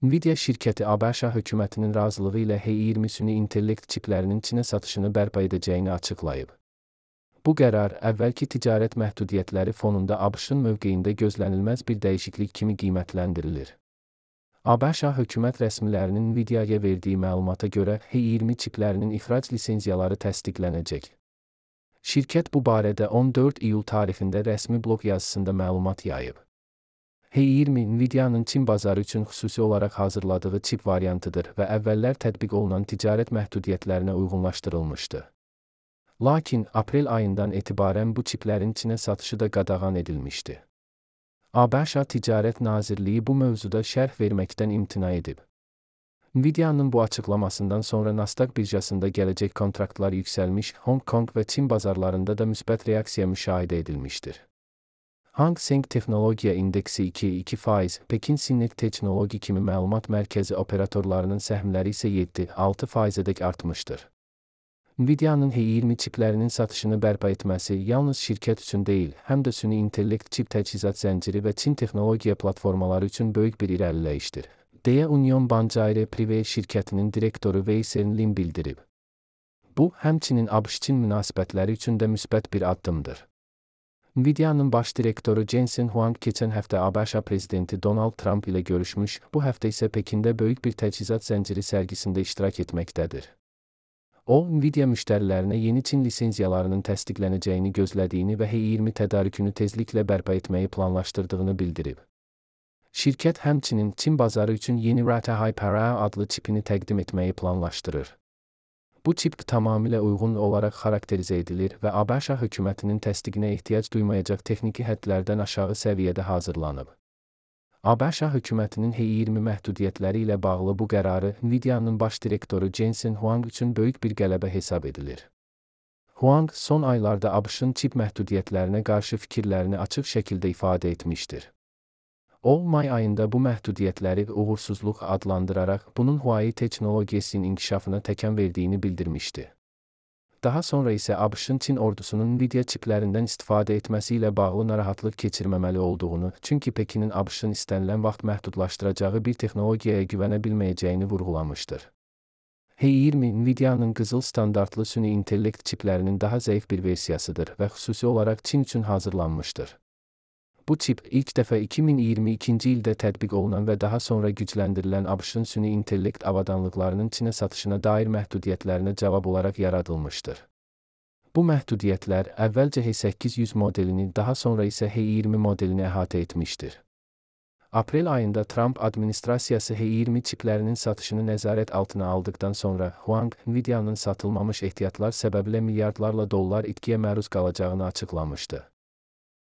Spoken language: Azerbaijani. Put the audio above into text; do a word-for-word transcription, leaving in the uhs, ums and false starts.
Nvidia şirkəti ABŞ hökumətinin razılığı ilə H iyirmi süni intellekt çiplərinin Çinə satışını bərpa edəcəyini açıqlayıb. Bu qərar, əvvəlki ticarət məhdudiyyətləri fonunda ABŞ-ın mövqeyində gözlənilməz bir dəyişiklik kimi qiymətləndirilir. ABŞ hökumət rəsmilərinin Nvidia'ya verdiyi məlumata görə H iyirmi çiplərinin ixrac lisenziyaları təsdiqlənəcək. Şirkət bu barədə on dörd iyul tarixində rəsmi blog yazısında məlumat yayıb. H iyirmi Nvidia'nın Çin bazarı üçün xüsusi olaraq hazırladığı çip variantıdır və əvvəllər tətbiq olunan ticarət məhdudiyyətlərinə uyğunlaşdırılmışdı. Lakin, aprel ayından etibarən bu çiplərin Çinə satışı da qadağan edilmişdi. ABŞ Ticarət Nazirliyi bu mövzuda şərh verməkdən imtina edib. Nvidia'nın bu açıqlamasından sonra Nasdaq birjasında gələcək kontraktlar yüksəlmiş, Hong Kong və Çin bazarlarında da müsbət reaksiya müşahidə edilmişdir. Hang Seng Texnologiya İndeksi iki nöqtə iki faiz, Pekin Sinnet Teknoloji kimi məlumat mərkəzi operatorlarının səhmləri isə yeddi nöqtə altı faizədək artmışdır. Nvidia'nın H iyirmi çiplərinin satışını bərpa etməsi yalnız şirkət üçün deyil, həm də süni intellekt çip təchizat zənciri və Çin texnologiya platformaları üçün böyük bir irəliləyişdir, deyə Union Bancaire Privé şirkətinin direktoru Wei Senlin bildirib. Bu, həmçinin ABŞ-Çin münasibətləri üçün də müsbət bir addımdır. Nvidia'nın baş direktoru Jensen Huang keçən həftə ABŞ prezidenti Donald Trump ilə görüşmüş, bu həftə isə Pekində böyük bir təchizat zənciri sərgisində iştirak etməkdədir. O, Nvidia müştərilərinə yeni Çin lisenziyalarının təsdiqlənəcəyini gözlədiyini və H iyirmi tədarükünü tezliklə bərpa etməyi planlaşdırdığını bildirib. Şirkət həmçinin Çin bazarı üçün yeni Rata Hyper-A adlı çipini təqdim etməyi planlaşdırır. Bu çip tamamilə uyğun olaraq xarakterizə edilir və ABŞ hökumətinin təsdiqinə ehtiyac duymayacaq texniki hədlərdən aşağı səviyyədə hazırlanıb. ABŞ hökumətinin H iyirmi məhdudiyyətləri ilə bağlı bu qərarı Nvidia'nın baş direktoru Jensen Huang üçün böyük bir qələbə hesab edilir. Huang, son aylarda ABŞ-ın çip məhdudiyyətlərinə qarşı fikirlərini açıq şəkildə ifadə etmişdir. O, may ayında bu məhdudiyyətləri uğursuzluq adlandıraraq bunun Huawei texnologiyasının inkişafına təkan verdiyini bildirmişdi. Daha sonra isə ABŞ-ın Çin ordusunun Nvidia çiplərindən istifadə etməsi ilə bağlı narahatlıq keçirməməli olduğunu, çünki Pekinin ABŞ-ın istənilən vaxt məhdudlaşdıracağı bir texnologiyaya güvənə bilməyəcəyini vurğulamışdır. H iyirmi Nvidia'nın qızıl standartlı süni intellekt çiplərinin daha zəif bir versiyasıdır və xüsusi olaraq Çin üçün hazırlanmışdır. Bu çip, ilk dəfə iki min iyirmi ikinci ildə tətbiq olunan və daha sonra gücləndirilən ABŞ-ın süni intellekt avadanlıqlarının Çinə satışına dair məhdudiyyətlərinə cavab olaraq yaradılmışdır. Bu məhdudiyyətlər əvvəlcə H səkkiz yüz modelini, daha sonra isə H iyirmi modelini əhatə etmişdir. Aprel ayında Trump administrasiyası H iyirmi çiplərinin satışını nəzarət altına aldıqdan sonra Huang, Nvidia'nın satılmamış ehtiyatlar səbəbilə milyardlarla dollar itkiyə məruz qalacağını açıqlamışdı.